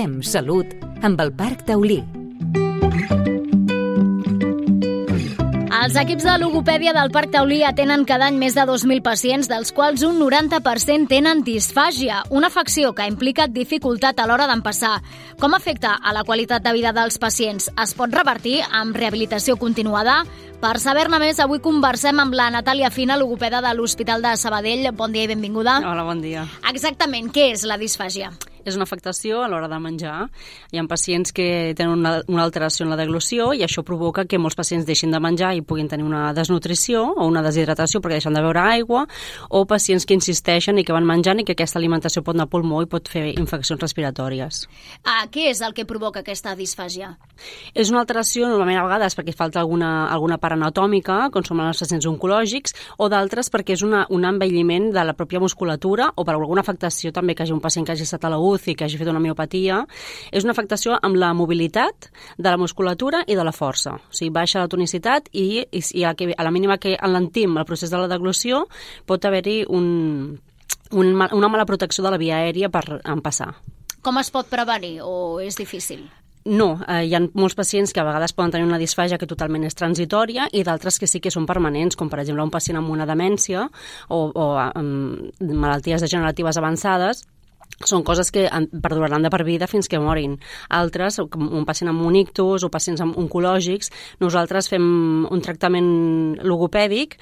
Fem salut amb el Parc Taulí. Els equips de logopèdia del Parc Taulí atenen cada any més de 2.000 pacients, dels quals un 90% tenen disfàgia, una afecció que implica dificultat a l'hora d'empassar. Com afecta a la qualitat de vida dels pacients? Es pot revertir amb rehabilitació continuada? Per saber-ne més, avui conversem amb la Natàlia Fina, logopeda de l'Hospital de Sabadell. Bon dia i benvinguda. Hola, bon dia. Exactament, què és la disfàgia? És una afectació a l'hora de menjar. Hi ha pacients que tenen una alteració en la deglució i això provoca que molts pacients deixin de menjar i puguin tenir una desnutrició o una deshidratació perquè deixen de beure aigua, o pacients que insisteixen i que van menjant i que aquesta alimentació pot anar al pulmó i pot fer infeccions respiratòries. Què és el que provoca aquesta disfàgia? És una alteració normalment a vegades perquè falta alguna part anatòmica, com són els pacients oncològics, o d'altres perquè és un envelliment de la pròpia musculatura o per alguna afectació també que hagi un pacient que hagi estat a la UCI, que hagi fet una miopatia. És una afectació amb la mobilitat de la musculatura i de la força. O sigui, baixa la tonicitat i a la mínima que alentim el procés de la deglució pot haver-hi una mala protecció de la via aèria per empassar. Com es pot prevenir o és difícil? No, hi ha molts pacients que a vegades poden tenir una disfàgia que totalment és transitòria i d'altres que sí que són permanents, com per exemple un pacient amb una demència o amb malalties degeneratives avançades. Són coses que perduraran de per vida fins que morin. Altres, com un pacient amb un ictus o pacients oncològics, nosaltres fem un tractament logopèdic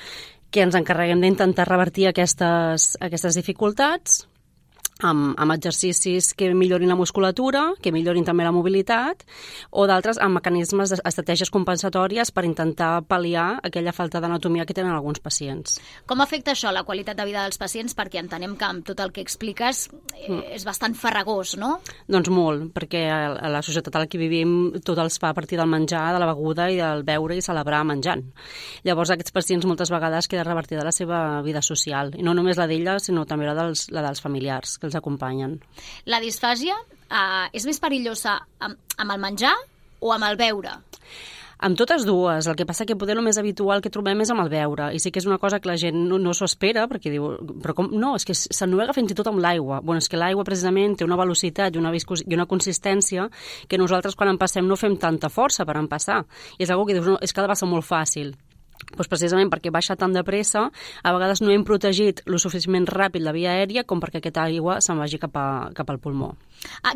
que ens encarreguem d'intentar revertir aquestes dificultats amb exercicis que millorin la musculatura, que millorin també la mobilitat, o d'altres amb mecanismes d'estratègies compensatòries per intentar pal·liar aquella falta d'anatomia que tenen alguns pacients. Com afecta això la qualitat de vida dels pacients? Perquè entenem que amb tot el que expliques és bastant farragós, no? Doncs molt, perquè a la societat en la que vivim tot els fa a partir del menjar, de la beguda i del beure i celebrar menjant. Llavors aquests pacients moltes vegades queda revertida la seva vida social, i no només la d'ella, sinó també la dels familiars que els acompanyen. La disfàgia és més perillosa amb el menjar o amb el beure? Amb totes dues. El que passa que poder el més habitual que trobem és amb el beure. I sí que és una cosa que la gent no s'ho espera, perquè diu, però com? No, és que s'ennuega fins i tot amb l'aigua. Bueno, és que l'aigua precisament té una velocitat i una consistència que nosaltres quan empassem no fem tanta força per empassar. I és una cosa que dius, no, és que ha de ser molt fàcil. Doncs precisament perquè baixa tan de pressa, a vegades no hem protegit lo suficientment ràpid la via aèria com perquè aquesta aigua se'n vagi cap al pulmó.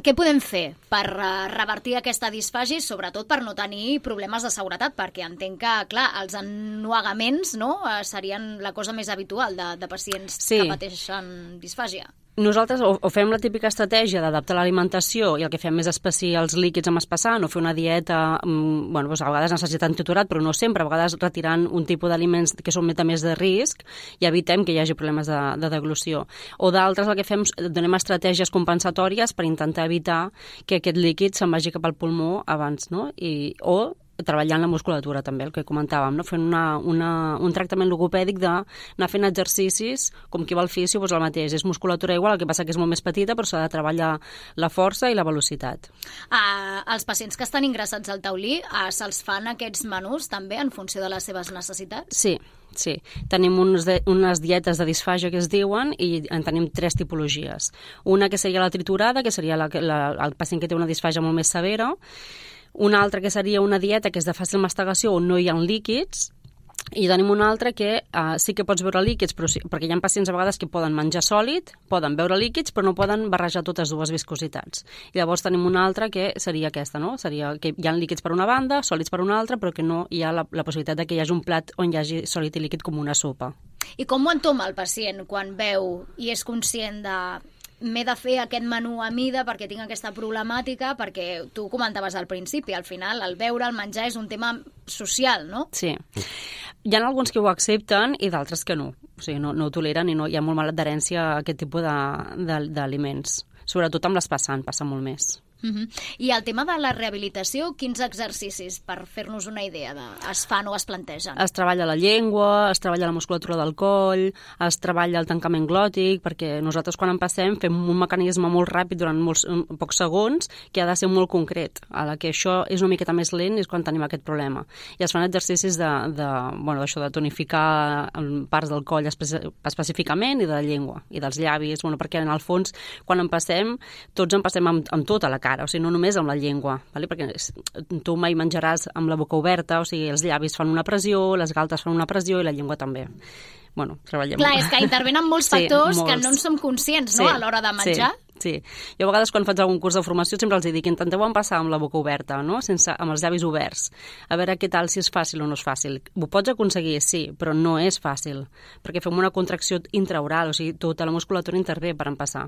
Què podem fer per revertir aquesta disfàgia, sobretot per no tenir problemes de seguretat? Perquè entenc que, clar, els ennuegaments serien la cosa més habitual de pacients que pateixen disfàgia. Nosaltres o fem la típica estratègia d'adaptar l'alimentació i el que fem és espessir els líquids amb espassant o fer una dieta, doncs a vegades necessitant triturat, però no sempre, a vegades retirant un tipus d'aliments que són més de risc i evitem que hi hagi problemes de deglució. O d'altres el que fem, donem estratègies compensatòries per intentar evitar que aquest líquid se'n vagi cap al pulmó abans, no? O treballant la musculatura també, el que comentàvem, no? Fent un tractament logopèdic d'anar fent exercicis com qui va al fisio, doncs el mateix, és musculatura igual, el que passa que és molt més petita, però s'ha de treballar la força i la velocitat. Els pacients que estan ingressats al Taulí, se'ls fan aquests menús també en funció de les seves necessitats? Sí. Tenim unes dietes de disfàgia que es diuen i en tenim 3 tipologies. Una que seria la triturada, que seria el pacient que té una disfàgia molt més severa. Una altra que seria una dieta que és de fàcil mastegació on no hi ha líquids, i tenim una altra que sí que pots beure líquids, però perquè hi ha pacients a vegades que poden menjar sòlid, poden beure líquids, però no poden barrejar totes dues viscositats. I llavors tenim una altra que seria aquesta, no? Seria que hi ha líquids per una banda, sòlids per una altra, però que no hi ha la possibilitat de que hi hagi un plat on hi hagi sòlid i líquid com una sopa. I com ho entoma el pacient quan veu i és conscient de m'he de fer aquest menú a mida perquè tinc aquesta problemàtica, perquè tu comentaves al principi, al final el beure, el menjar és un tema social, no? Sí. Hi ha alguns que ho accepten i d'altres que no. O sigui, no ho toleren i hi ha molt mala adherència a aquest tipus d'aliments. Sobretot amb l'espassant, passa molt més. I el tema de la rehabilitació, quins exercicis, per fer-nos una idea, es fan o es plantegen? Es treballa la llengua, es treballa la musculatura del coll, es treballa el tancament glòtic, perquè nosaltres quan empassem fem un mecanisme molt ràpid durant pocs segons que ha de ser molt concret. A la que això és una miqueta més lent és quan tenim aquest problema. I es fan exercicis de tonificar parts del coll específicament i de la llengua i dels llavis, perquè en el fons quan empassem, tots empassem amb tota la cara, o sigui, no només amb la llengua, vale? Perquè tu mai menjaràs amb la boca oberta, o sigui, els llavis fan una pressió, les galtes fan una pressió i la llengua també. Bueno, treballem... Clar, és que intervenen molts factors que no en som conscients, no?, a l'hora de menjar. Sí. Jo a vegades quan faig algun curs de formació sempre els dic, intenteu empassar amb la boca oberta, no? Amb els llavis oberts, a veure què tal, si és fàcil o no és fàcil. Ho pots aconseguir, sí, però no és fàcil, perquè fem una contracció intraoral, o sigui, tota la musculatura intervé per empassar.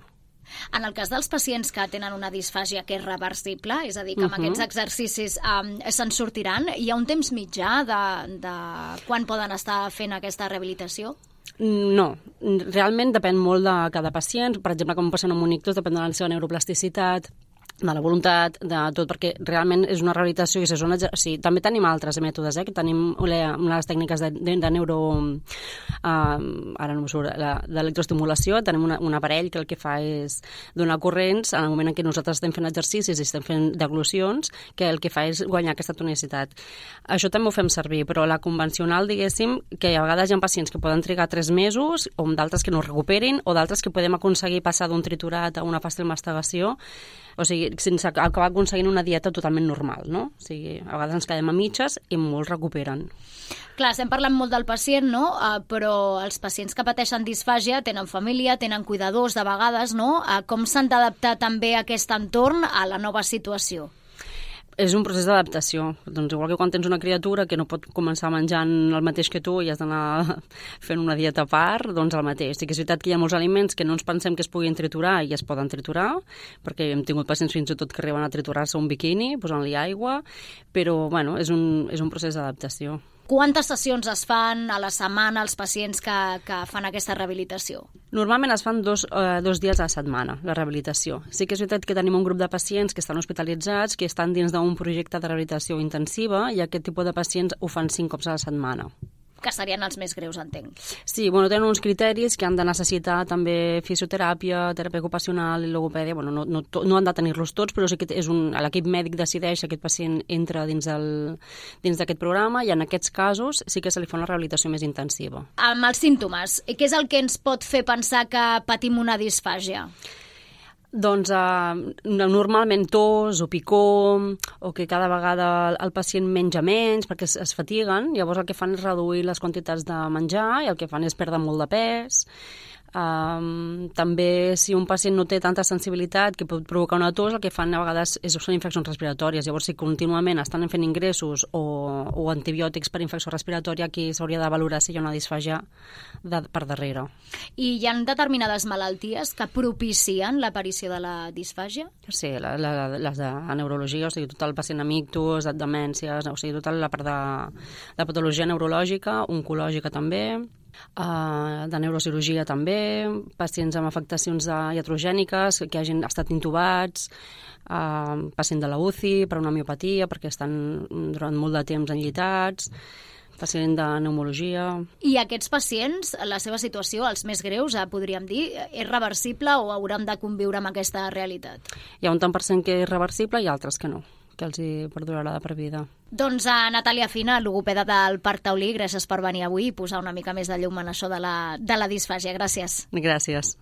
En el cas dels pacients que tenen una disfàgia que és reversible, és a dir, que amb aquests exercicis se'n sortiran, hi ha un temps mitjà de quan poden estar fent aquesta rehabilitació? No, realment depèn molt de cada pacient. Per exemple, com un pacient amb un ictus, depèn de la seva neuroplasticitat, de la voluntat, de tot, perquè realment és una rehabilitació i sí, també tenim altres mètodes, que tenim les tècniques de neuro... ara no m'ho surt, d'electroestimulació, tenim un aparell que el que fa és donar corrents en el moment en què nosaltres estem fent exercicis i estem fent deglucions, que el que fa és guanyar aquesta tonicitat. Això també ho fem servir, però la convencional, diguéssim, que a vegades hi ha pacients que poden trigar 3 mesos, o d'altres que no es recuperin, o d'altres que podem aconseguir passar d'un triturat a una fàcil mastigació, o sigui, sense acabar aconseguint una dieta totalment normal, no? O sigui, a vegades ens quedem a mitges i molts recuperen. Clar, estem parlant molt del pacient, no? Però els pacients que pateixen disfàgia tenen família, tenen cuidadors de vegades, no? Com s'han d'adaptar també a aquest entorn a la nova situació? És un procés d'adaptació. Doncs igual que quan tens una criatura que no pot començar menjant el mateix que tu i has d'anar fent una dieta a part, doncs el mateix. Sí que és veritat que hi ha molts aliments que no ens pensem que es puguin triturar i es poden triturar, perquè hem tingut pacients fins i tot que arriben a triturar-se un biquini, posant-li aigua, però bueno, és un procés d'adaptació. Quantes sessions es fan a la setmana als pacients que fan aquesta rehabilitació? Normalment es fan dos dies a la setmana, la rehabilitació. Sí que és veritat que tenim un grup de pacients que estan hospitalitzats, que estan dins d'un projecte de rehabilitació intensiva, i aquest tipus de pacients ho fan 5 cops a la setmana. Que serien els més greus, entenc. Sí, bueno, tenen uns criteris que han de necessitar també fisioteràpia, teràpia ocupacional i logopèdia. Bueno, no han de tenir-los tots, però sí que l'equip mèdic decideix si aquest pacient entra dins d'aquest programa, i en aquests casos sí que se li fa una rehabilitació més intensiva. Amb els símptomes, què és el que ens pot fer pensar que patim una disfàgia? Doncs normalment tos o picor, o que cada vegada el pacient menja menys perquè es fatiguen, llavors el que fan és reduir les quantitats de menjar i el que fan és perdre molt de pes. També si un pacient no té tanta sensibilitat que pot provocar una tos, el que fan a vegades són infeccions respiratòries. Llavors si contínuament estan fent ingressos o antibiòtics per infecció respiratòria, aquí s'hauria de valorar si hi ha una disfàgia per darrere. I hi ha determinades malalties que propicien l'aparició de la disfàgia? Sí, les de neurologia, o sigui, tot el pacient amb ictus, demències, o sigui, tota la part de patologia neurològica, oncològica també, de neurocirurgia també, pacients amb afectacions iatrogèniques que hagin estat intubats, pacient de la UCI per una miopatia perquè estan durant molt de temps enllitats, pacient de pneumologia. I aquests pacients, la seva situació, els més greus, podríem dir, és reversible o hauran de conviure amb aquesta realitat? Hi ha un tant per cent que és reversible i altres que no, que els hi perdurarà de per vida. Doncs a Natàlia Fina, logopeda del Parc Taulí, gràcies per venir avui i posar una mica més de llum en això de la disfàgia. Gràcies. Gràcies.